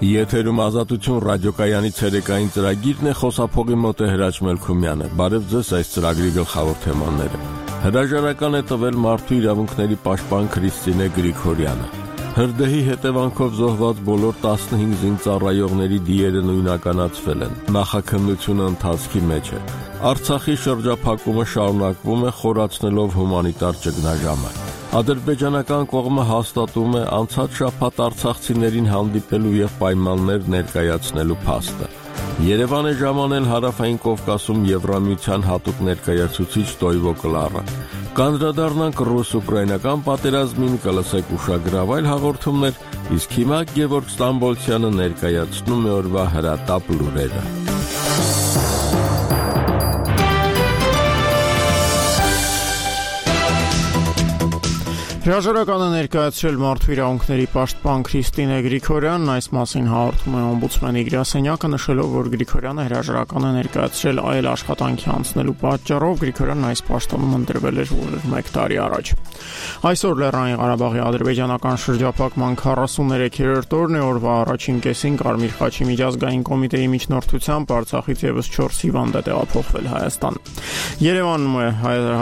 Եթերում ազատություն ռադիոկայանի ցերեկային ծրագիրն է, խոսափողի մոտ է Հրաչ Մելքումյանը։ Բարև ձեզ, այս ծրագրի գլխավոր թեմաները։ Հրաժարական է տվել մարդու իրավունքների պաշտպան Քրիստինե Գրիգորյանը։ Հրդեհի հետևանքով զոհված բոլոր 15 զինծառայողների դիերը նույնականացվել են։ Նախաքննությունը ընթացքի մեջ է։ Արցախի շրջափակումը շարունակվում է, խորացնելով հումանիտար ճգնաժամը։ Ադրբեջանական կողմը հաստատում է անցած շաբաթ արցախցիներին հանդիպելու եւ պայմաններ ներկայացնելու փաստը։ Երևան է ժամանել Հարավային Կովկասում Եվրամիության հատուկ ներկայացուցիչ Տոյվո Կլարը։ Կանդրադառնանք ռուս-ուկրաինական պատերազմին, կլսեք ուշագրավ այլ հաղորդումներ, իսկ հիմա Գևորգ Ստամբոլցյանը ներկայացնում է օրվա հրատապ լուրերը։ Հրաժարականը ներկայացրել մարդու իրավունքների պաշտպան Քրիստինե Գրիգորյանն, այս մասին հաղորդում է օմբուդսմենի Գրասենյակը, նշելով, որ Գրիգորյանը հրաժարականը ներկայացրել այլ աշխատանքի անցնելու պատճառով։ Գրիգորյանն այս պաշտոնում ընտրվել էր 1 տարի առաջ։ Այսօր Լեռնային Ղարաբաղի ադրբեջանական շրջափակման 43-րդ օրն է, օրվա առաջին կեսին Կարմիր խաչի միջազգային կոմիտեի միջնորդությամբ Արցախից եւս 4 հիվանդ է տեղափոխվել Հայաստան։ Երևանում է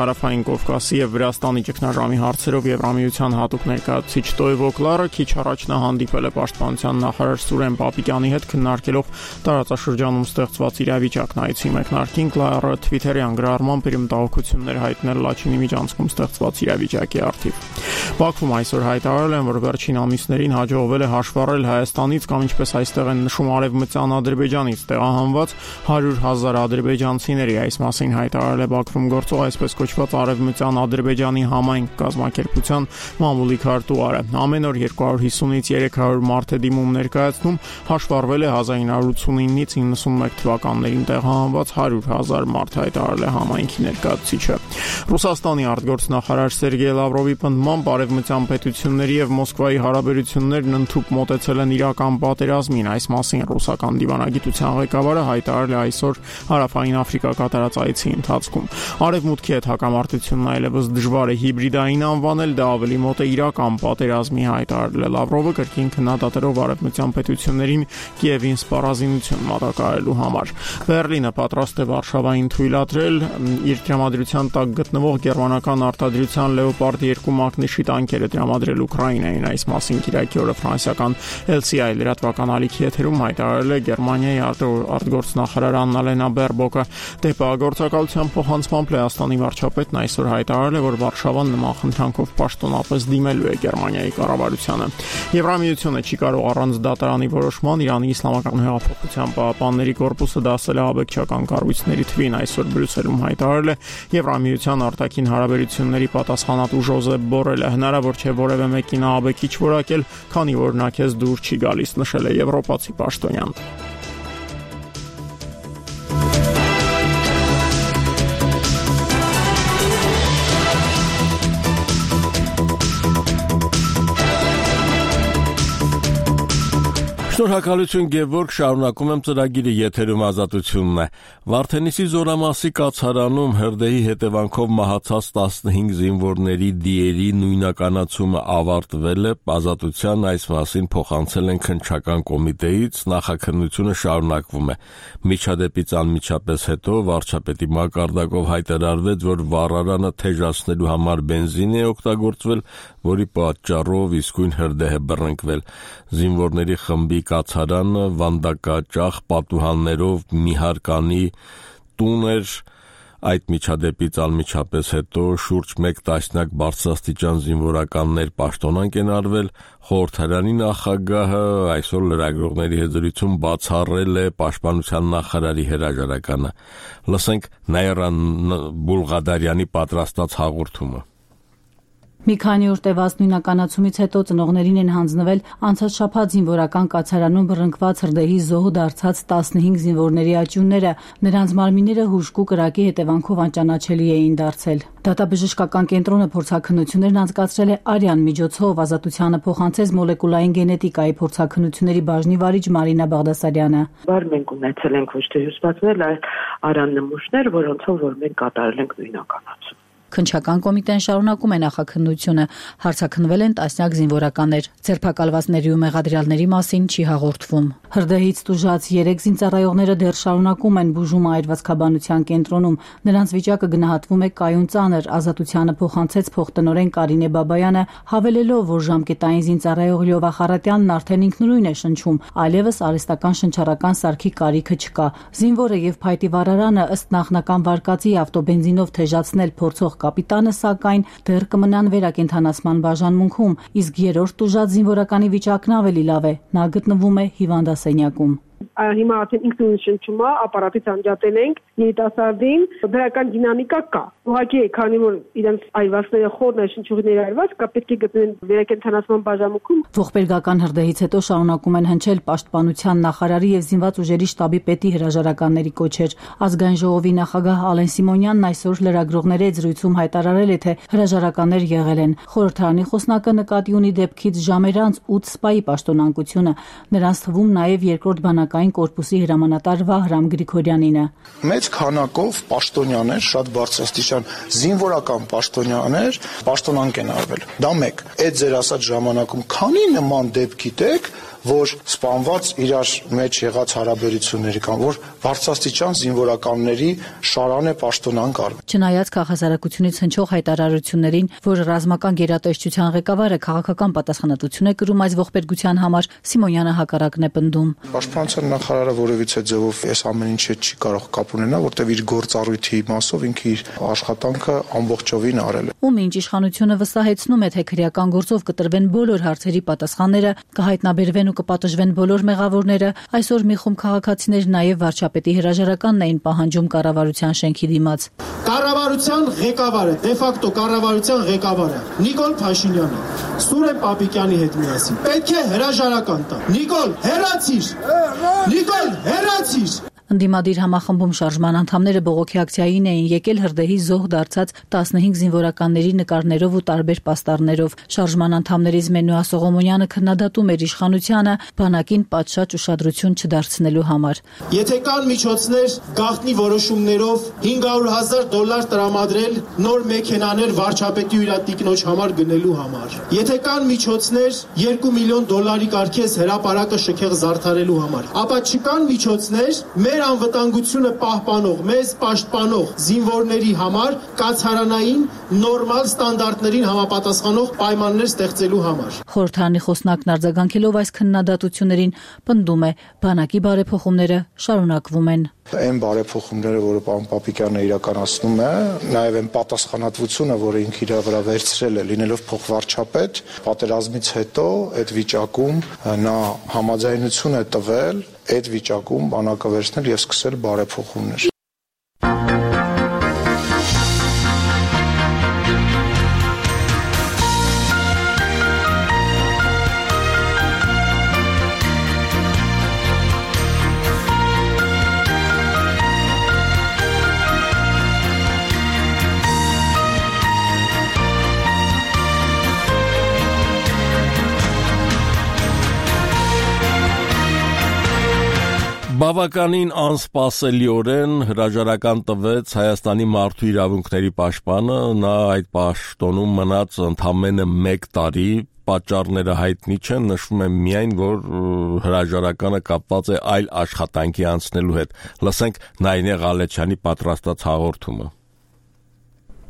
Հարավային Կովկասի եւ Վրաստանի ճգնաժամի հարցերով Եվրամիության հատուկ ներկայացուցիչ Տոյվո Կլարը քիչ առաջ նա հանդիպել է պաշտպանության նախարար Սուրեն Պապիկյանի հետ, քննարկելով տարածաշրջանում ստեղծված իրավիճակն։ Այցի մեկնարկին Կլարը Twitter-յան գրառմամբ իր մտահոգություններ հայտնել Լաչինի միջանցքում ստեղծված իրավիճակի առթիվ։ Բաքվում այսօր հայտարարել են, որ վերջին ամիսներին հաջողվել է հաշվառել Հայաստանից կամ ինչպես այստեղ են նշում Արևմտյան Ադրբեջանից տեղահանված 100,000 ադրբեջանցիների։ Այս մասին հայտարարել է Բաքվում գործող այսպես կոչված Արևմտյան Ադրբեջանի համայնք կազմակերպության մամուլի քարտուղարը։ Ամեն օր 250-ից 300 մարդ է դիմում ներկայացնում, հաշվառվել է 1989-ից 91 թվականներին տեղահանված 100,000 մարդ, հայտարարել է համայնքի ներկայացուցիչը։ Ռուսաստանի արտգործնախարար Սերգեյ Լավրովի պնդմամբ արևմտյան պետությունների եւ Մոսկվայի հարաբերություններն ընդհուպ մոտեցել են իրական պատերազմին։ Այս մասին ռուսական դիվանագիտության ղեկավարը հայտարարել է այսօր Հարավային Աֆրիկա կատարած այցի ընթացքում։ Արևմուտքի հետ հակամարտությունն այլևս դժվար է հիբրիդային անվանել, դա ավելի մոտ է իրական պատերազմի, հայտարարել է Լավրովը, կրկին քննադատելով արևմտյան պետություններին Կիևին սպառազինություն մատակարարելու համար։ Բեռլինը պատրաստ է Վարշավային թույլատրել իր տրամադրության տակ գտնվող գերմանական արտադրության Leopard 2 մակնիշի տանկերը տրամադրել Ուկրաինային։ Այս մասին Կիրակի օրը ֆրանսիական LCI լրատվական ալիքի եթերում հայտարարել է Գերմանիայի արտգործնախարար Աննալենա Բերբոկը։ Դեպագործակալության փոխանցմամբ Լեհաստանի վարչապետն այսօր հայտարարել է, որ Վարշավան նման խնդրանքով պաշտոնապես դիմելու է Գերմանիայի կառավարությանը։ Եվրամիությունը չի կարող առանց դատարանի որոշման Իրանի Իսլամական հեղափոխության պահապանների կորպուսը դասել է աբեկչական կառույցների թվին, այսօր Բրյուսելում հայտարարել է Եվրամիության արտաքին հարաբերությունների պատասխանատու Ժոզեփ Բորելը։ Հնարավոր չէ որևէ մեկին աբեկիչ որակել, քանի որ նա քեզ դուր չի գալիս, նշել է եվրոպացի պաշտոնյան։ Շնորհակալություն Գևորգ, շարունակում եմ ծրագիրը, եթերում ազատությունն է։ Վարդենիսի Զորամասի կացարանում հրդեհի հետևանքով մահացած 15 զինվորների դիերի նույնականացումը ավարտվել է, ազատության այս մասին փոխանցել են քննչական կոմիտեից, նախաքննությունը շարունակվում է։ Միջադեպից անմիջապես հետո վարչապետի մակարդակով հայտարարվեց, որ վառարանը թեժացնելու համար բենզին է օգտագործվել, որի պատճառով իսկույն հրդեհ է բռնկվել։ Զինվորների խմբի կացարանը վանդակաճախ պատուհաններով մի հարկանի տուն էր։ Այդ միջադեպից անմիջապես հետո շուրջ 1 տասնյակ բարձրաստիճան զինվորականներ պաշտոնանկ են արվել։ Խորհրդարանի նախագահը այսօր լրագրողների հետ զրույցում բացառել է պաշտպանության նախարարի հրաժարականը։ Լսենք Նաիրա Բուլղադարյանի պատրաստած հաղորդումը։ Մի քանի օր տևած նույնականացումից հետո ծնողներին են հանձնվել անցած շաբաթ զինվորական կացարանում բռնկված հրդեհի զոհ դարձած 15 զինվորների աճյունները։ Նրանց մարմինները հուժկու կրակի հետևանքով անճանաչելի էին դարձել։ Դատաբժշկական կենտրոնը փորձաքննություններն անցկացրել է արյան միջոցով, ազատությանը փոխանցեց մոլեկուլային գենետիկայի փորձաքննությունների բաժնի վարիչ Մարինա Բաղդասարյանը։ Բար մենք ունեցել ենք ոչ թե հյուսվածքներ, այլ արյան նմուշներ, որոնցով որ մենք կատարել ենք նույնականացում։ Քննչական կոմիտեն շարունակում է նախաքննությունը, հարցաքննվել են տասնյակ զինվորականներ, ձերբակալվածների ու մեղադրյալների մասին չի հաղորդվում։ Հրդեհից տուժած 3 զինծառայողները դեռ շարունակում են բուժումը այրվածքաբանության կենտրոնում, նրանց վիճակը գնահատվում է կայուն ծանր, Ազատությանը փոխանցեց փոխտնօրեն Կարինե Բաբայանը, հավելելով, որ ժամկետային զինծառայող Լյովա Խարատյանն արդեն ինքնուրույն է շնչում, այլևս արհեստական շնչառական սարքի կարիքը չկա։ Զինվորը եւ փայտի վարարանը ըստ նախնական վարկածի ավտոբենզինով թեժացնել փորձող կապիտանը, սակայն դեռ կմնան վերակենդանացման բաժանմունքում, իսկ երրորդ տուժած զինվորականի վիճակն ավելի լավ է, նա գտնվում է հիվանդասենյակում։ Հիմա արդեն ինքնուրույն շնչում է, ապարատից անջատել ենք երիտասարդին, դրական դինամիկա կա։ Ուղղակի է, քանի որ իրենց այրվածքները խորն է, շնչուղիները այրված, կա պետք է գտնեն վերակենդանացման բաժանմունքում։ Ողբերգական հրդեհից հետո շարունակում են հնչել պաշտպանության նախարարի եւ զինված ուժերի շտաբի պետի հրաժարականների կոչեր։ Ազգային ժողովի նախագահ Ալեն Սիմոնյանն այսօր լրագրողների հետ զրույցում հայտարարել է, թե հրաժարականներ եղել են։ Խորհրդարանի խոսնակը նկատի ունի դեպքից ժամեր անց 8 սպայի պաշտոնակությունը, նրանց թվում նաեւ երկրորդ բանակային կորպուսի հրամանատար Վահրամ Գրիգորյանինը։ Մեծ քանակով պաշտոնյաներ, շատ բարձրաստիճան զինվորական պաշտոնյաներ պաշտոնանկ են արվել։ Դա մեկ։ Այդ ձեր ասած ժամանակում քանի նման դեպք գիտեք, որ սպանված իրար մեջ եղած հարաբերությունների կամ որ բարձրաստիճան զինվորականների շարան է պաշտոնանկ արվել։ Չնայած քաղաքասարակությունից հնչող հայտարարություններին, որ ռազմական գերատեսչության ղեկավարը քաղաքական պատասխանատվություն է կրում այս ողբերգության համար, Սիմոնյանը հակառակն է պնդում։ Պաշտպանության նախարարը որևիցե ձևով այս ամեն ինչը չի կարող կապ ունենալ, որտեղ իր գործառույթի մասով ինքը իր աշխատանքը ամբողջովին արել է։ Ում ինչ իշխանությունը վստահեցնում է, թե քրեական գործով կտրվեն բոլոր հարցերի պատասխանները, կհայտնաբերվեն ու կպատժվեն բոլոր մեղավորները, այսօր մի խումբ քաղաքացիներ նաև վարչապետի հրաժարականն էին պահանջում կառավարության շենքի դիմաց։ Կառավարության ղեկավարը, դե ֆակտո կառավարության ղեկավարը Նիկոլ Փաշինյանը Սուրեն Պապիկյանի հետ միասին պետք է հրաժարական տա։ Նիկոլ, հեռացիր։ Նիկոլ, հեռացիր։ Ընդդիմադիր համախմբում շարժման անդամները բողոքի ակցիային էին եկել հրդեհի զոհ դարձած 15 զինվորականների նկարներով ու տարբեր պաստառներով։ Շարժման անդամներից Մենուա Սողոմոնյանը քննադատում էր իշխանությանը բանակին պատշաճ ուշադրություն չդարձնելու համար։ Եթե կան միջոցներ գաղտնի որոշումներով $500,000 տրամադրել նոր մեքենաներ վարչապետի ու իր տիկնոջ համար գնելու համար, եթե կան միջոցներ $2 միլիոն կարգես հրապարակը շքեղ զարդարելու համար, ապա չկան միջոցներ մեր անվտանգությունը պահպանող, մեզ պաշտպանող զինվորների համար կացարանային նորմալ ստանդարտներին համապատասխանող պայմաններ ստեղծելու համար։ Խորհրդարանի խոսնակն արձագանքելով այս քննադատություններին պնդում է, բանակի բարեփոխումները շարունակվում են։ Այն բարեփոխումները, որը պարոն Պապիկյանը իրականացնում է, նաև այն պատասխանատվությունը, որը ինքը իր վրա վերցրել է, լինելով փոխվարչապետ, պատերազմից հետո այդ վիճակում նա համաձայնություն է տվել այդ վիճակում բանակը վերցնել եւ սկսել բարեփոխումներ։ Բավականին անսպասելիորեն հրաժարական տվեց Հայաստանի մարդու իրավունքների պաշտպանը, նա այդ պաշտոնում մնաց ընդամենը 1 տարի, պատճառները հայտնի չեն, նշվում է միայն, որ հրաժարականը կապված է այլ աշխատանքի անցնելու հետ։ Լսենք Նայինե Ղալեչյանի պատրաստած հաղորդումը։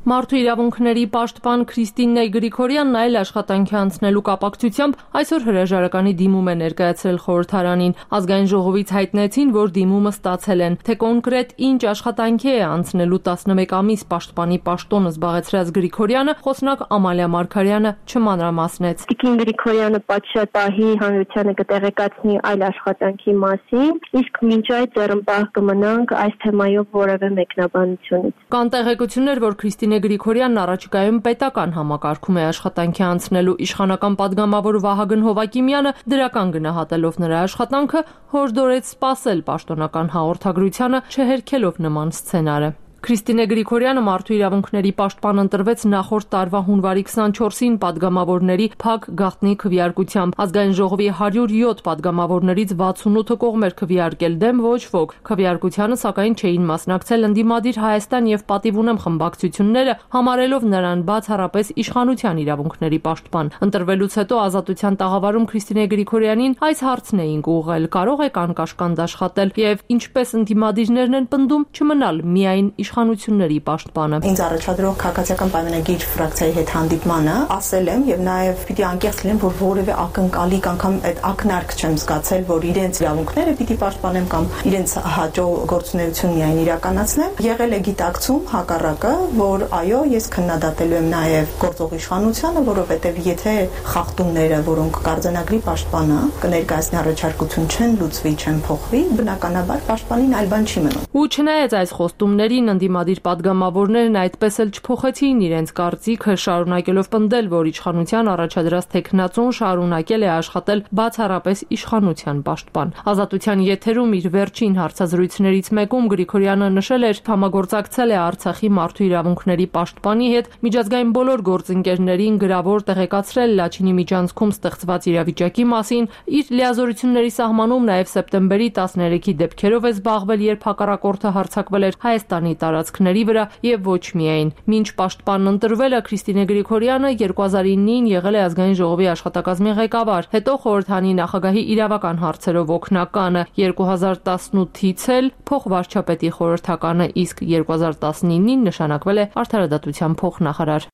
Մարդու իրավունքների պաշտպան Քրիստինե Գրիգորյանն այլ աշխատանքի անցնելու կապակցությամբ այսօր հրաժարականի դիմում է ներկայացրել խորհրդարանին։ Ազգային ժողովից հայտնեցին, որ դիմումը ստացել են, թե կոնկրետ ինչ աշխատանքի է անցնելու 11 ամիս պաշտպանի պաշտոնը զբաղեցրած Գրիգորյանը, խոսնակ Ամալիա Մարգարյանը չմանրամասնեց։ Տիկին Գրիգորյանը պատշաճ պահի հանրությանը կտեղեկացնի այլ աշխատանքի մասին, իսկ մինչ այդ ձեռնպահ կմնանք այս թեմայով որևէ մեկնաբանությունից։ Կան տեղեկություններ, որ Քրիստինե Գրիգորյանն առաջիկայում պետական համակարգում է աշխատանքի անցնելու, իշխանական պատգամավոր Վահագն Հովակիմյանը դրական գնահատելով նրա աշխատանքը հորդորեց սպասել պաշտոնական հաղորդագրությանը, չհերքելով նման սցենարը։ Քրիստինե Գրիգորյանը մարդու իրավունքների պաշտպան ընտրվեց նախորդ տարվա հունվարի 24-ին падգամավորների փակ գաղտնի քվեարկությամբ։ Ազգային ժողովի 107 падգամավորներից 68-ը կողմ էր քվեարկել, դեմ ոչ ոք։ Քվեարկությանը սակայն չէին մասնակցել ընդդիմադիր Հայաստան եւ Պատիվ ունեմ խմբակցությունները, համարելով նրան բացառապես իշխանության իրավունքների պաշտպան։ Ընտրվելուց հետո Ազատության տաղավարում Քրիստինե Գրիգորյանին այս հարցն էին ուղղել. կարող եք անկաշկանդ աշխատել եւ ինչպես ընդդիմադիրներն են պնդում, չմնալ միայն իշխանությունների պաշտպանը։ Ինձ առաջադրող քաղաքացիական պայմանագիր ֆրակցիայի հետ հանդիպմանը ասել եմ եւ նաեւ պիտի անկեղծ լինեմ, որ որևէ ակնկալիք անգամ այդ ակնարկ չեմ զգացել, որ իրենց իրավունքները պիտի պաշտպանեմ կամ իրենց հաջող գործունեություն միայն իրականացնեմ։ Եղել է գիտակցում հակառակը, որ այո, ես քննադատելու եմ նաեւ գործող իշխանությունը, որովհետեւ եթե խախտումները, որոնք կարձանագրի պաշտպանը կներկայացնի առաջարկություն չեն լուծվի, չեն փոխվի, բնականաբար պաշտպանին այլ բան չի մնում։ Ու չնայած այս խոստումներին ընդդիմադիր падգամավորներն այդպես էլ չփոխեցին իրենց կարծիքը, շարունակելով պնդել, որ իշխանության առաջադրած տեխնացուն շարունակել է աշխատել բացառապես իշխանության պաշտպան։ Ազատության եթերում իր վերջին հարցազրույցներից մեկում Գրիգորյանը նշել էր, համագործակցել է Արցախի մարդու իրավունքների պաշտպանի հետ, միջազգային բոլոր գործընկերներին գրավոր տեղեկացրել Լաչինի միջանցքում ստեղծված իրավիճակի մասին, իր լիազորությունների սահմանում նաև սեպտեմբերի 13-ի դեպքերով է զբաղվել, երբ հակառակորդը հարձակվել էր Հայաստանի տարածքների վրա եւ ոչ միայն։ Մինչ պաշտպանն ընտրվելը Քրիստինե Գրիգորյանը 2009-ին եղել է ազգային ժողովի աշխատակազմի ղեկավար, հետո խորհրդանի նախագահի իրավական հարցերով օգնականը, 2018-ից էլ փոխվարչապետի խորհրդականը, իսկ 2019-ին նշանակվել է արդարադատության փոխնախարար։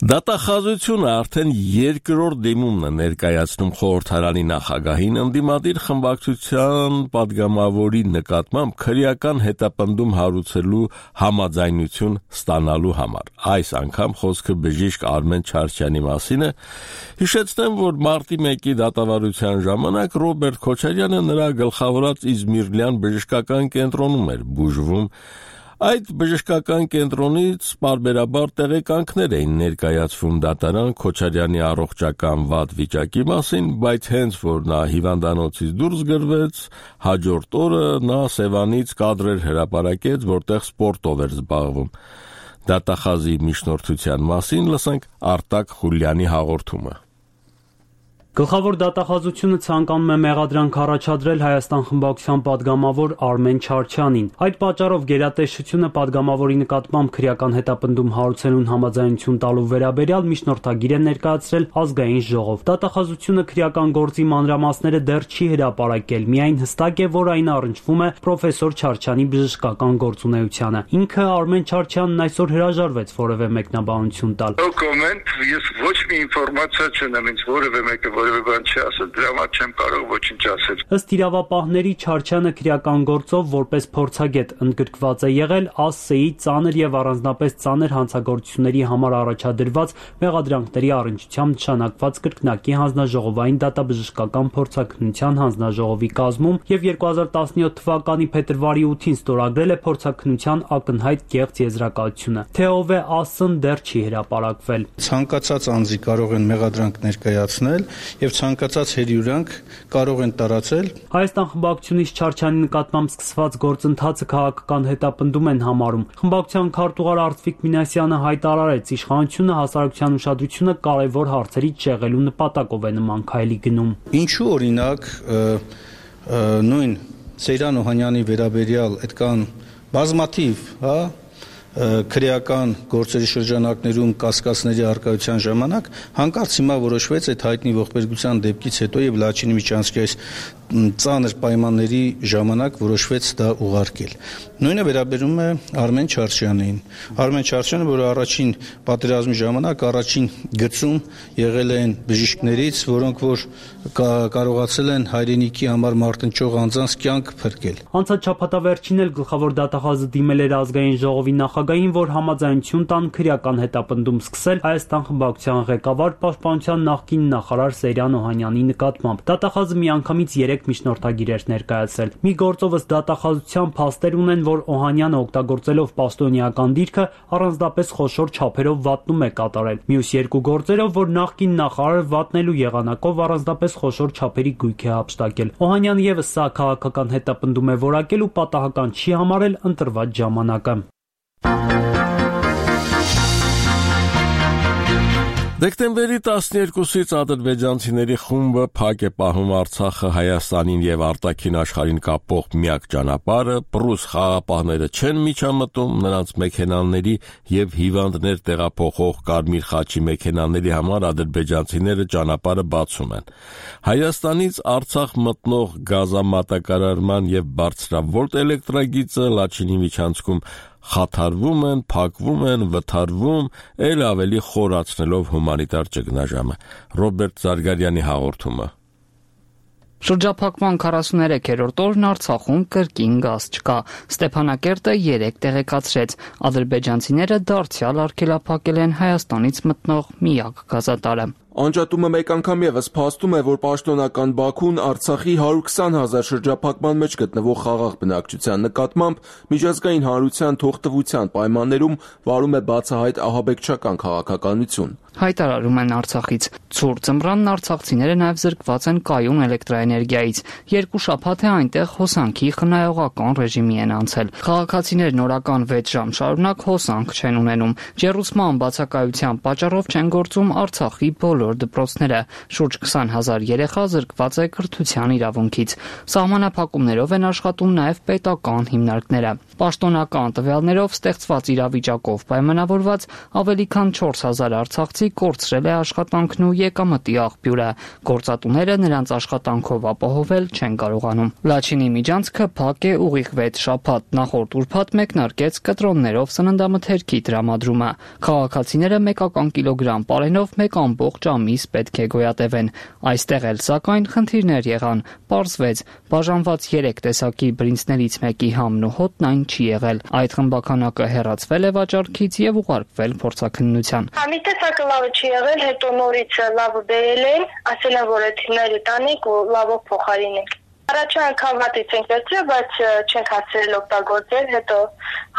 Դատախազությունը արդեն երկրորդ դիմումն է ներկայացնում խորհրդարանի նախագահին ընդդիմադիր խմբակցության падգամավորի նկատմամբ քրեական հետապնդում հարուցելու համաձայնություն ստանալու համար։ Այս անգամ խոսքը բժիշկ Արմեն Չարչյանի մասին է։ Հիշեցնեմ, որ մարտի 1-ի դատավարության ժամանակ Ռոբերտ Քոչարյանը նրա գլխավորած Իզմիրլյան բժշկական կենտրոնում էր բուժվում։ Այդ բժշկական կենտրոնից պարբերաբար տեղեկանքներ էին ներկայացվում դատարան Քոչարյանի առողջական վատ վիճակի մասին, բայց հենց որ նա հիվանդանոցից դուրս գրվեց, հաջորդ օրը նա Սևանից կադրեր հրապարակեց, որտեղ սպորտով էր զբաղվում։ Դատախազի միջնորդության մասին լսենք Արտակ Խուլյանի հաղորդումը։ Գլխավոր դատախազությունը ցանկանում է մեղադրանք առաջադրել Հայաստան խմբակցության падգամավոր Արմեն Չարչյանին։ Այդ պատճառով գերատեսչությունը падգամավորի նկատմամբ քրեական հետապնդում հարուցելուն համաձայնություն տալու վերաբերյալ միջնորդագիր է ներկայացրել ազգային ժողով։ Դատախազությունը քրեական գործի մանրամասները դեռ չի հրապարակել, միայն հստակ է, որ այն առնչվում է պրոֆեսոր Չարչյանի բժշկական գործունեությանը։ Ինքը Արմեն Չարչյանն այսօր հրաժարվեց որևէ մեկնաբանություն տալ։ Ես ոչ մի ինֆորմացիա չունեմ, ինձ որևէ մեկը որևէ բան չի ասել, դրա համար չեմ կարող ոչինչ ասել։ Ըստ իրավապահների Չարչյանը քրեական գործով որպես փորձագետ ընդգրկված է եղել ԱՍՍ-ի ծանր եւ առանձնապես ծանր հանցագործությունների համար առաջադրված մեղադրանքների առնչությամբ նշանակված կրկնակի հանձնաժողովային դատաբժշկական փորձաքննության հանձնաժողովի կազմում եւ 2017 թվականի փետրվարի 8-ին ստորագրել է փորձաքննության ակնհայտ կեղծ եզրակացությունը։ Թե ով է ԱՍՍ-ն դեռ չի հրապարակվել։ Ցանկացած անձի կարող են մեղադրանք ներկայացնել եւ ցանկացած հերյուրանք կարող են տարածել։ Հայաստան խմբակցությունից Չարչյանի նկատմամբ սկսված գործընթացը քաղաքական հետապնդում են համարում։ Խմբակցության քարտուղար Արծվիկ Մինասյանը հայտարարեց, իշխանությունը հասարակության ուշադրությունը կարևոր հարցերից շեղելու նպատակով է նման քայլի գնում։ Ինչու օրինակ նույն Սեյրան Օհանյանի վերաբերյալ այդքան բազմաթիվ, քրեական գործերի շրջանակներում կասկածների արկայության ժամանակ հանկարծ հիմա որոշվեց այդ հայտնի ողբերգության դեպքից հետո եւ Լաչինի միջանցքի այս ծանր պայմանների ժամանակ որոշվեց դա ուղարկել։ Նույնը վերաբերում է Արմեն Չարչյանին։ Արմեն Չարչյանը, որը առաջին պատերազմի ժամանակ առաջին գծում եղել են բժիշկներից, որոնք որ կարողացել են հայրենիքի համար մարտնչող անձանց կյանք փրկել։ Անցած շաբաթավերջին էլ գլխավոր դատախազը դիմել էր ազգային ժողովի նախագահին, որ համաձայնություն տան քրեական հետապնդում սկսել Հայաստան խմբակցության ղեկավար պաշտպանության նախկին նախարար Սերյան Օհանյանի նկատմամբ։ Դատախազը միանգամից 3 միջնորդագիր էր ներկայացրել։ Մի գործով ըստ դատախազության փաստեր ունեն, որ Օհանյանը օգտագործելով պաշտոնեական դիրքը առանձնապես խոշոր չափերով վատնում է կատարել։ Մյուս 2 գործերով, որ նախկին նախարարը վատնելու եղանակով առանձնապես խոշոր չափերի գույք է հափշտակել։ Օհանյանը եւս սա քաղաքական հետապնդում է որակել ու պատահական չի համարել ընտրված ժամանակը։ Դեկտեմբերի 12-ից ադրբեջանցիների խումբը փակ է պահում Արցախը Հայաստանին եւ արտաքին աշխարհին կապող միակ ճանապարհը, պրուս խաղապահները չեն միջամտում, նրանց մեքենաների եւ հիվանդներ տեղափոխող Կարմիր խաչի մեքենաների համար ադրբեջանցիները ճանապարհը բացում են։ Հայաստանից Արցախ մտնող գազամատակարարման եւ բարձրավոլտ էլեկտրագիծը Լաչինի միջանցքում խաթարվում են, փակվում են, վթարվում, ել ավելի խորացնելով հումանիտար ճգնաժամը։ Ռոբերտ Զարգարյանի հաղորդումը։ Շրջափակման 43-րդ օրն Արցախում կրկին գազ չկա։ Ստեփանակերտը 3 տեղեկացրեց։ Ադրբեջանցիները դարձյալ արգելափակել են Հայաստանից մտնող միակ գազատարը։ Անջատումը մեկ անգամ եւս փաստում է, որ պաշտոնական Բաքուն Արցախի 120,000 շրջափակման մեջ գտնվող խաղաղ բնակչության նկատմամբ միջազգային հանրության թողտվության պայմաններում վարում է բացահայտ ահաբեկչական քաղաքականություն։ Հայտարարում են Արցախից։ Ցուրտ ձմռանն արցախցիները նաև զրկված են կայուն էլեկտրաէներգիայից։ 2 շաբաթ է այնտեղ հոսանքի խնայողական ռեժիմի են անցել։ Քաղաքացիներն օրական 6 ժամ շարունակ հոսանք չեն ունենում։ Ջեռուցման բացակայության պատճառով չեն գործում Արցախի բոլոր դպրոցները։ Շուրջ 20,000 երեխա զրկված է կրթության իրավունքից։ Սահմանափակումներով են աշխատում նաև պետական հիմնարկները։ Պաշտոնական տվյալներով ստեղծված իրավիճակով պայմանավորված ավելի քան 4,000 արցախցի կորցրել է աշխատանքն ու եկամտի աղբյուրը։ Գործատուները նրանց աշխատանքով ապահովել չեն կարողանում։ Լաչինի միջանցքը փակ է ուղիղ 6 շաբաթ։ Նախորդ ուրբաթ մեկնարկեց կտրոններով սննդամթերքի տրամադրումը։ Քաղաքացիները մեկական կիլոգրամ պարենով 1 ամիս պետք է գոյատևեն։ Այստեղ էլ սակայն խնդիրներ եղան։ Պարզվեց, բաժանված 3 տեսակի բրինձներից մեկի համն ու հոտն այն չի եղել։ Այդ խմբականակը հեռացվել է վաճառքից եւ ուղարկվել փորձաքննության։ Մի տեսակը լավը չի եղել, հետո նորից լավը բերել են, ասել են, որ էթինները տանեք ու լավով փոխարինենք։ Առաջին անգամ վատից ենք վերցրել, բայց չենք հասցրել օգտագործել, հետո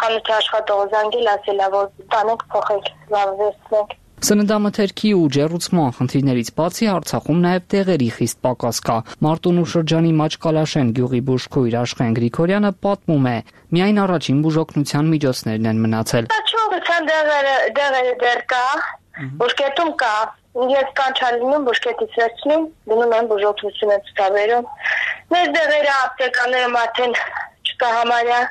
խանութի աշխատողը զանգել, ասել է, որ տանենք փոխենք, լավը վերցնենք։ Սննդամթերքի ու ջեռուցման խնդիրներից բացի Արցախում նաև տեղերի խիստ պակաս կա։ Մարտունու շրջանի Մաչկալաշեն գյուղի բուժքույր Աշխեն Գրիգորյանը պատմում է. միայն առաջին բուժօգնության միջոցներն են մնացել։ Ճողության դեղերը դեռ կա, բուժկետում կա։ Ես կանչալինում բուժկետից վերցնում, դնում եմ բուժօգնություն եմ ցուցաբերում։ Մեր դեղերը ապտեկաները արդեն չկա համարյա։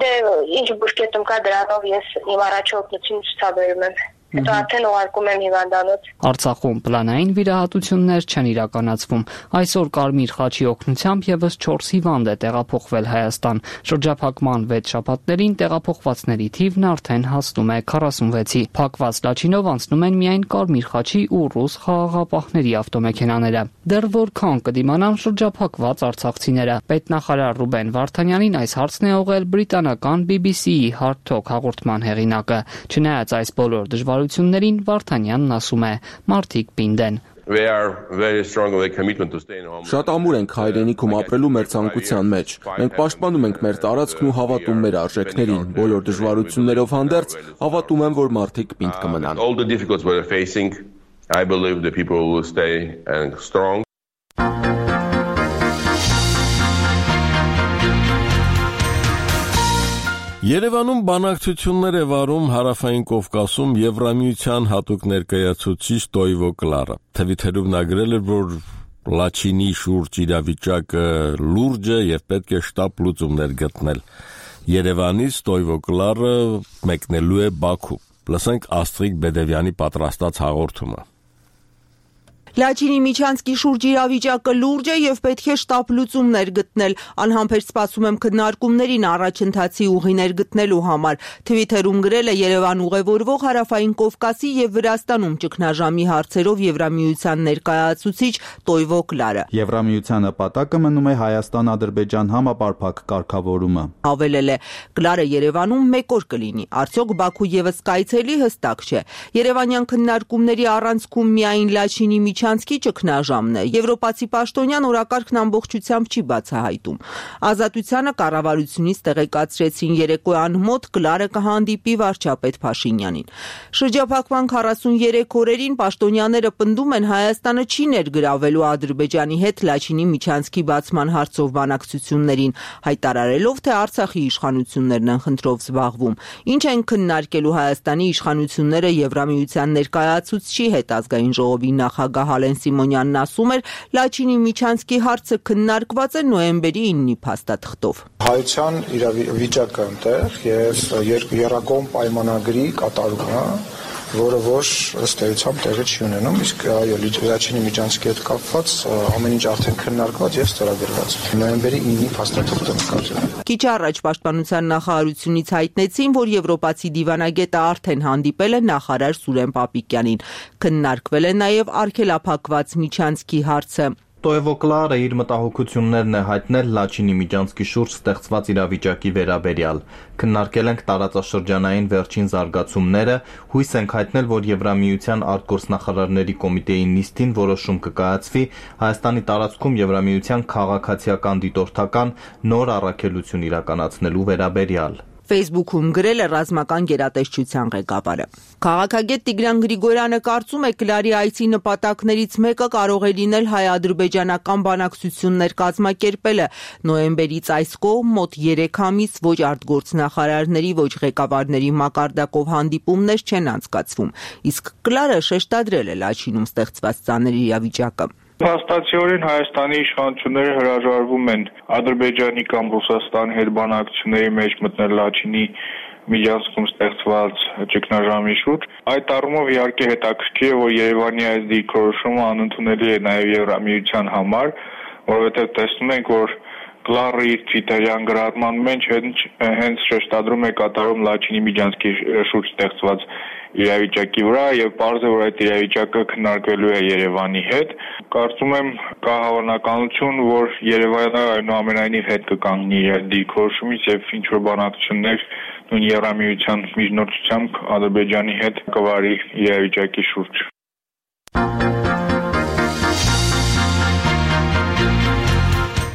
Դե ինչ բուժկետում կա դրանով ես իմ առաջօգնությունը ցուցաբերում եմ։ Հետո արդեն ուղարկում եմ հիվանդանոց։ Արցախում պլանային վիրահատություններ չեն իրականացվում։ Այսօր Կարմիր խաչի օգնությամբ եւս 4 հիվանդ է տեղափոխվել Հայաստան։ Շրջափակման 6 շաբաթներին տեղափոխվածների թիվն արդեն հասնում է 46-ի։ Փակված Լաչինով անցնում են միայն Կարմիր խաչի ու ռուս խաղաղապահների ավտոմեքենաները։ Դեռ որքան կդիմանան շրջափակված արցախցիները։ Պետնախարար Ռուբեն Վարդանյանին այս հարցն է ուղղել բրիտանական BBC-ի Hard Talk հաղորդման հեղինակը։ Չնայած այս բոլոր դժվարություններին Վարդանյանն ասում է. մարդիկ պինդ են։ Շատ ամուր ենք հայրենիքում ապրելու մեր ցանկության մեջ։ Մենք պաշտպանում ենք մեր տարածքն ու հավատում մեր արժեքներին։ Բոլոր դժվարություններով հանդերձ հավատում եմ, որ մարդիկ պինդ կմնան։ I believe the people will stay strong. Երևանում բանակցություններ է վարում Հարավային Կովկասում Եվրամիության հատուկ ներկայացուցիչ Տոյվո Կլարը։ Թվիթերում նա գրել էր, որ Լաչինի շուրջ իրավիճակը լուրջ է եւ պետք է շտապ լուծումներ գտնել։ Երևանից Տոյվո Կլարը մեկնելու է Բաքու։ Լսենք Աստրիկ Բեդևյանի պատրաստած հաղորդումը։ Լաչինի Միչանսկի շուրջ իրավիճակը լուրջ է եւ պետք է շտապ լուծումներ գտնել։ Անհամբեր սպասում եմ քննարկումներին առաջընթացի ուղիներ գտնելու համար։ Թվիթերում գրել է Երևան ուղևորվող Հարավային Կովկասի եւ Վրաստանում ճգնաժամի հարցերով Եվրամիության ներկայացուցիչ Տոյվո Կլարը։ Եվրամիության նպատակը մնում է Հայաստան-Ադրբեջան համապարփակ կարգավորումը։ Հավելել է Կլարը Երևանում մեկ օր կլինի։ Արդյոք Բաքու եւս կայցելի հստակ չէ։ Երևանյան քննարկումների առանցքում միայն Լաչինի Միչանսկի ճգնաժամն է։ Եվրոպացի պաշտոնյան օրակարգն ամբողջությամբ չի բացահայտում։ Ազատությանը կառավարությունից տեղեկացրեցին երեկոյան մոտ Կլարը կհանդիպի վարչապետ Փաշինյանին։ Շրջափակման 43 օրերին պաշտոնյաները պնդում են Հայաստանը չի ներգրավելու Ադրբեջանի հետ Լաչինի Միչանսկի բացման հարցով բանակցություններին, հայտարարելով, թե Արցախի իշխանություններն են խնդրով զբաղվում։ Ինչ են քննարկելու Հայաստանի իշխանությունները Եվրամիության ներկայացուցչի հետ ազգային ժողովի նախագահ Հալեն Սիմոնյանն ասում էր, Լաչինի Միչանսկի հարցը քննարկված է նոյեմբերի 9-ի փաստաթղթով։ Հայության իրավիճակը այնտեղ եւ երկկողմ պայմանագրի կատարումը, որը ոչ ըստ էության տեղի չի ունենում, իսկ այո, Լաչինի Միչանսկի հետ կապված ամեն ինչ արդեն քննարկված եւ ստորագրված։ Նոյեմբերի 9-ի փաստաթղթը նկատել։ Քիչ առաջ Պաշտպանության նախարարությունից հայտնեցին, որ եվրոպացի դիվանագետը արդեն հանդիպել է նախարար Սուրեն Պապիկյանին։ Քննարկվել է նաև արգելափակված Միչանսկի հարցը։ Տոյվո Կլարը իր մտահոգություններն է հայտնել Լաչինի Միչանսկի շուրջ ստեղծված իրավիճակի վերաբերյալ։ Քննարկել ենք տարածաշրջանային վերջին զարգացումները, հույս ենք հայտնել, որ Եվրամիության արտգործնախարարների կոմիտեի նիստին որոշում կկայացվի Հայաստանի տարածքում Եվրամիության քաղաքացիական դիտորդական նոր առաքելություն իրականացնելու վերաբերյալ։ Facebook-ում գրել է ռազմական գերատեսչության ղեկավարը։ Քաղաքագետ Տիգրան Գրիգորյանը կարծում է Կլարի այցի նպատակներից մեկը կարող է լինել հայ-ադրբեջանական բանակցություններ կազմակերպելը։ Նոյեմբերից այս կողմ մոտ 3 ամիս ոչ արտգործնախարարների, ոչ ղեկավարների մակարդակով հանդիպումներ չեն անցկացվում։ Իսկ Կլարը շեշտադրել է Լաչինում ստեղծված ծանր իրավիճակը։ Փաստացիորեն Հայաստանի իշխանությունները հրաժարվում են Ադրբեջանի կամ Ռուսաստանի հետ բանակցությունների մեջ մտնել Լաչինի Միչանսկում ստեղծված ճգնաժամի շուրջ։ Այդ առումով իհարկե հետաքրքիր է, որ Երևանի այս դիրքորոշումը անընդունելի է նաև Եվրամիության համար, որովհետև տեսնում ենք, որ Կլարը իր Թվիտերյան գրառման մեջ հենց շեշտադրում է կատարում Լաչինի Միչանսկի շուրջ ստեղծված իրավիճակի վրա եւ պարզ է, որ այդ իրավիճակը քննարկվելու է Երևանի հետ։ Կարծում եմ կա հավանականություն, որ Երևանը այնուամենայնիվ հետ կկանգնի իր դիրքորոշումից եւ ինչ որ բանակցություններ նույն Եվրամիության միջնորդությամբ Ադրբեջանի հետ կվարի իրավիճակի շուրջ։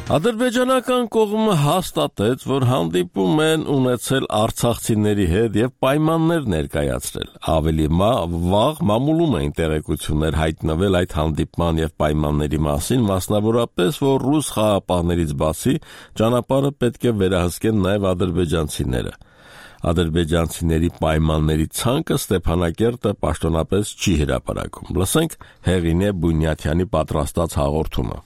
Ադրբեջանական կողմը հաստատեց, որ հանդիպում են ունեցել արցախցիների հետ եւ պայմաններ ներկայացրել։ Ավելի վաղ մամուլում էին տեղեկություններ հայտնվել այդ հանդիպման եւ պայմանների մասին, մասնավորապես, որ ռուս խաղապահներից բացի ճանապարհը պետք է վերահսկեն նաեւ ադրբեջանցիները։ Ադրբեջանցիների պայմանների ցանկը Ստեփանակերտը պաշտոնապես չի հրապարակում։ Լսենք Հեղինե Բունյաթյանի պատրաստած հաղորդումը։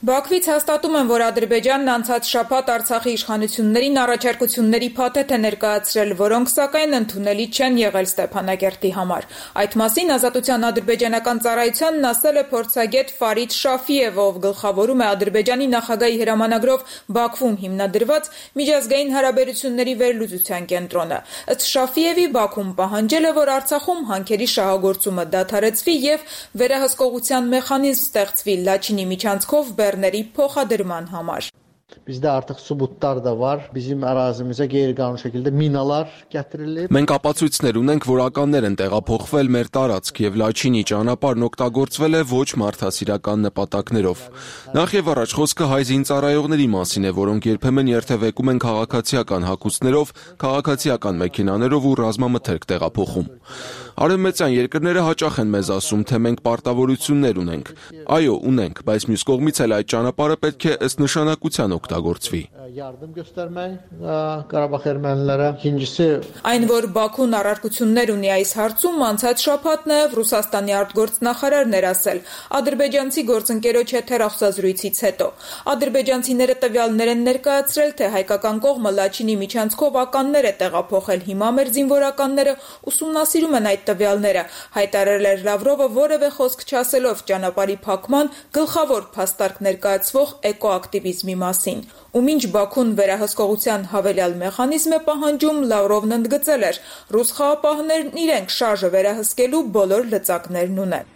Բաքվից հաստատում են, որ Ադրբեջանն անցած շաբաթ Արցախի իշխանություններին առաջարկությունների փաթեթ է ներկայացրել, որոնք սակայն ընդունելի չեն եղել Ստեփանակերտի համար։ Այդ մասին Ազատության ադրբեջանական ծառայությանն ասել է փորձագետ Ֆարիդ Շաֆիևը, ով գլխավորում է Ադրբեջանի նախագահի հրամանագրով Բաքվում հիմնադրված միջազգային հարաբերությունների վերլուծության կենտրոնը։ Ըստ Շաֆիևի Բաքուն պահանջել է, որ Արցախում հանքերի շահագործումը դադարեցվի եւ վերահսկողության մեխանիզմ ստեղծվի Լաչինի Միչանսկով բեռների փոխադրման համար։ Bizdə artıq sübutlar da var. Bizim ərazimizə qeyri-qanuni şəkildə minalar gətirilib. Մենք ապացույցներ ունենք, որ ականներ են տեղափոխվել մեր տարածք եւ Լաչինի ճանապարհն օգտագործվել է ոչ մարդասիրական նպատակներով։ Նախ եւ առաջ խոսքը հայ զինծառայողների մասին է, որոնք երբեմն երթևեկում են քաղաքացիական հագուստներով, քաղաքացիական մեքենաներով ու ռազմամթերք տեղափոխում։ Արևմտյան երկրները հաճախ են մեզ ասում, թե մենք պարտավորություններ ունենք։ Այո, ունենք, բայց մյուս կողմից էլ այդ ճանապարհը պետք է ըստ նշանակության օգտագործվի։ Այն, որ Բաքուն առարկություններ ունի այս հարցում, անցած շաբաթ նաև Ռուսաստանի արտգործնախարարն էր ասել ադրբեջանցի գործընկերոջ հետ հեռախոսազրույցից հետո։ Ադրբեջանցիները տվյալներ են ներկայացրել, թե հայկական կողմը Լաչինի միջանցքով ականներ է տեղափոխել։ Հիմա մեր զինվորականները ուսումնասիրում են այդ տվյալները, հայտարարել էր Լավրովը որևէ խոսք չասելով ճանապարհի փակման գլխավոր փաստարկ ներկայացվող էկոակտիվիզմի մասին։ Ու մինչ Բաքուն վերահսկողության հավելյալ մեխանիզմ է պահանջում, Լավրովն ընդգծել էր, ռուս խաղապահներն իրենք շարժը վերահսկելու բոլոր լծակներն ունեն։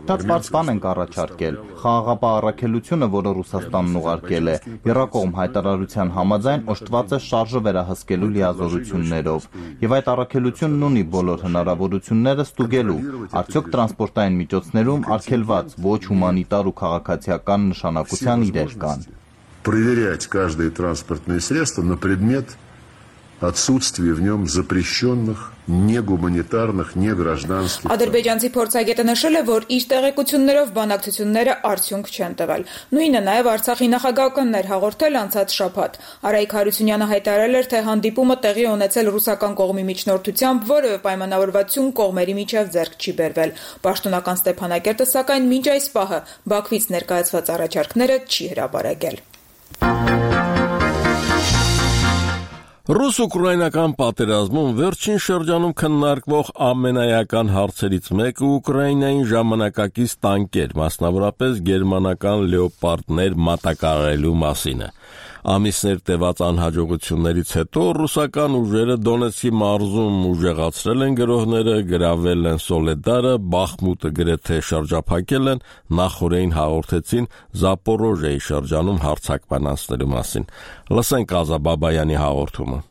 Շատ բարձ բան ենք առաջարկել։ Խաղաղապահ առաքելությունը, որը Ռուսաստանն ուղարկել է, եռակողմ հայտարարության համաձայն օժտված է շարժը վերահսկելու լիազորություններով, եւ այդ առաքելությունն ունի բոլոր հնարավորությունները ստուգելու, արդյոք տրանսպորտային միջոցներում արգելված ոչ հումանիտար ու քաղաքացիական նշանակության իրեր կան։ Проверять каждое транспортное средство на предмет отсутствия в нем запрещенных, негуманитарных, негражданских. Ադրբեջանցի փորձագետը նշել է, որ իր տեղեկություններով բանակցությունները արդյունք չեն տվել։ Նույնը նաև Արցախի նախագահականն էր հաղորդել անցած շաբաթ։ Արայիկ Հարությունյանը հայտարարել էր, թե հանդիպումը տեղի ունեցել ռուսական կողմի միջնորդությամբ, որևէ պայմանավորվածություն կողմերի միջև ձեռք չի բերվել։ Պաշտոնական Ստեփանակերտը սակայն մինչ այս պահը Բաքվից ներկայացված առաջարկները չի հրապարակել։ Ռուս-ուկրաինական պատերազմում վերջին շրջանում քննարկվող ամենայական հարցերից մեկը Ուկրաինային ժամանակակից տանկեր, մասնավորապես գերմանական լեոպարդներ մատակարարելու մասին է։ Ամիսներ տևած անհաջողություններից հետո ռուսական ուժերը Դոնեցկի մարզում ուժեղացրել են գրոհները, գրավել են Սոլեդարը, Բախմուտը գրեթե շրջափակել են, նախորդին հաղորդեցին Զապորոժիայի շրջանում հարձակման անցնելու մասին։ Լսենք Ազաբաբայանի հաղորդումը։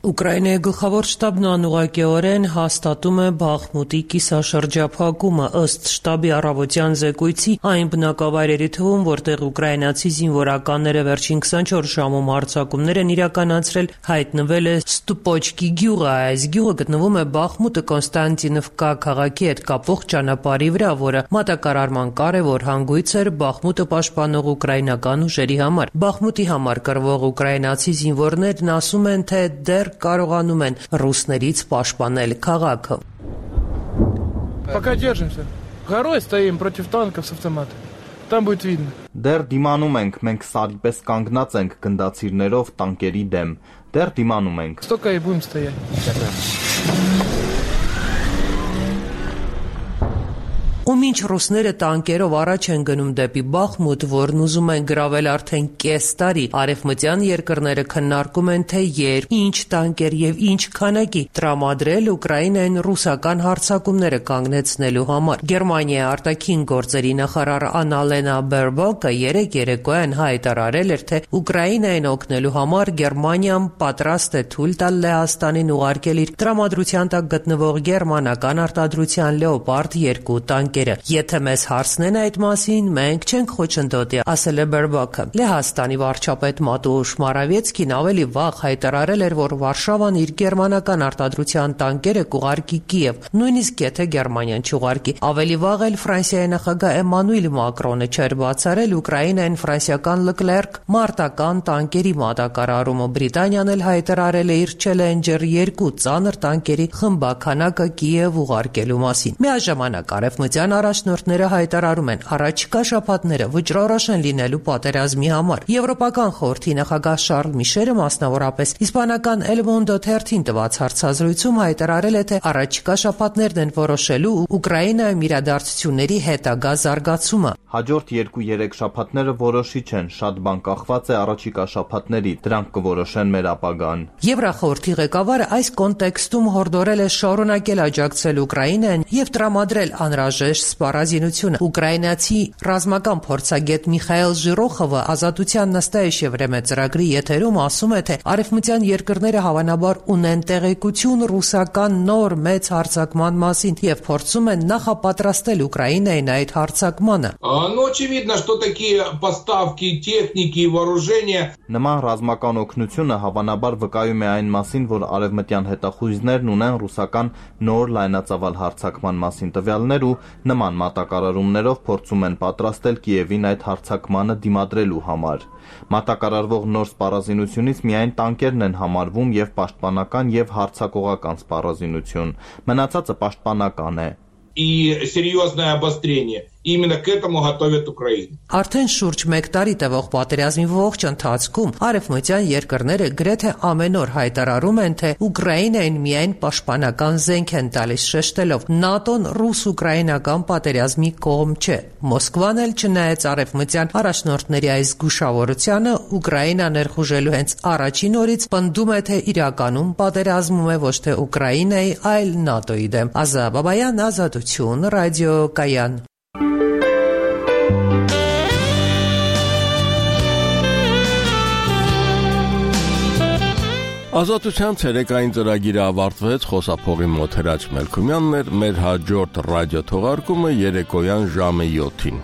Ուկրաինայի գլխավոր շտաբն անուղղակիորեն հաստատում է Բախմուտի կիսաշրջափակումը ըստ շտաբի առավոտյան զեկույցի այն բնակավայրերի թվում, որտեղ ուկրաինացի զինվորականները վերջին 24 ժամում հարձակումներ են իրականացրել, հայտնվել է Ստուպոչկի գյուղը։ Այս գյուղը գտնվում է Բախմուտը Կոնստանտինովկա քաղաքի հետ կապող ճանապարհի վրա, որը մատակարարման կարևոր հանգույց էր Բախմուտը պաշտպանող ուկրաինական ուժերի համար։ Բախմուտի համար կռվող ուկրաինացի զինվորներն ասում են, թե դեռ կարողանում են ռուսներից պաշտպանել քաղաքը։ Пока держимся. Горой стоим против танков с автомата. Там будет видно. Դեռ դիմանում ենք, մենք սարի պես կանգնած ենք գնդացիրներով տանկերի дем. Դեռ դիմանում ենք. Столько и будем стоять. Ու մինչ ռուսները տանկերով առաջ են գնում դեպի Բախմուտ, որն ուզում են գրավել արդեն կես տարի, արևմտյան երկրները քննարկում են, թե երբ, ինչ տանկեր եւ ինչ քանակի տրամադրել Ուկրաինային ռուսական հարձակումները կանգնեցնելու համար։ Գերմանիայի արտաքին գործերի նախարար Անալենա Բերբոկը երեկոյան հայտարարել էր, թե Ուկրաինային օգնելու համար Գերմանիան պատրաստ է թույլ տալ Լեհաստանին ուղարկել իր տրամադրության տակ գտնվող գերմանական արտադրության Լեոպարդ 2 տանկեր։ Եթե մեզ հարցնեն այդ մասին, մենք չենք խոչընդոտի, ասել է Բերբոկը։ Լեհաստանի վարչապետ Մատուշ Մարավեցկին ավելի վաղ հայտարարել էր, որ Վարշավան իր գերմանական արտադրության տանկերը կուղարկի Կիև, նույնիսկ եթե Գերմանիան չուղարկի։ Ավելի վաղ էլ Ֆրանսիայի նախագահ Էմանուել Մակրոնը չէր բացառել Ուկրաինային ֆրանսիական Leclerc մարտական տանկերի մատակարարումը։ Բրիտանիան էլ հայտարարել է իր Challenger 2 ծանր տանկերի խմբաքանակը Կիև ուղարկելու մասին։ Միաժամանակ արևմտյան առաջնորդները հայտարարում են առաջիկա շաբաթները վճռորոշ են լինելու պատերազմի համար։ Եվրոպական խորհրդի նախագահ Շարլ Միշելը մասնավորապես իսպանական El Mundo թերթին տված հարցազրույցում հայտարարել է, թե առաջիկա շաբաթներն են որոշելու Ուկրաինայում իրադարձությունների հետագա զարգացումը։ Հաջորդ 2-3 շաբաթները որոշիչ են, շատ բան կախված է առաջիկա շաբաթների, դրանք կորոշեն մեր ապագան։ Եվրախորհրդի ղեկավարը այս կոնտեքստում հորդորել է շարունակել աջակցել Ուկրաինային եւ տրամադրել անհրաժեշտ անհրաժեշտ սպառազինությունը։ Ուկրաինացի ռազմական փորձագետ Միխայել Ժիրոխովը Ազատության Նստայեշ Եվրեմե ծրագրի եթերում ասում է, թե արևմտյան երկրները հավանաբար ունեն տեղեկություն ռուսական նոր մեծ հարձակման մասին եւ փորձում են նախապատրաստել Ուկրաինային այդ հարձակմանը։ Очевидно, что такие поставки техники и вооружения Նման ռազմական օգնությունը հավանաբար վկայում է այն մասին, որ արևմտյան հետախույզներն ունեն ռուսական նոր լայնածավալ հարձակման մասին տվյալներ ու նման մատակարարումներով փորձում են պատրաստել Կիևին այդ հարձակմանը դիմադրելու համար։ Մատակարարվող նոր սպառազինությունից միայն տանկերն են համարվում եւ պաշտպանական եւ հարձակողական սպառազինություն։ Մնացածը պաշտպանական է։ и серьезное обострение. Именно к этому готовят Украину. Արդեն շուրջ 1 տարի տևող պատերազմի ողջ ընթացքում արևմտյան երկրները գրեթե ամեն օր հայտարարում են, թե Ուկրաինային միայն պաշտպանական զենք են տալիս, շեշտելով ՆԱՏՕ-ն ռուս-ուկրաինական պատերազմի կողմ չէ։ Մոսկվան էլ չնայած արևմտյան առաջնորդների այս զգուշավորությանը, Ուկրաինա ներխուժելու հենց առաջին օրից պնդում է, թե իրականում պատերազմում է ոչ թե Ուկրաինայի, այլ ՆԱՏՕ-ի դեմ։ Ազա Բաբայան, Ազատություն, ռադիո Կայան։ Ազատության ցերեկային ծրագիրը ավարտվեց, խոսափողի մոտ Հրաչ Մելքումյանն էր, մեր հաջորդ ռադիո թողարկումը երեկոյան ժամը 7-ին։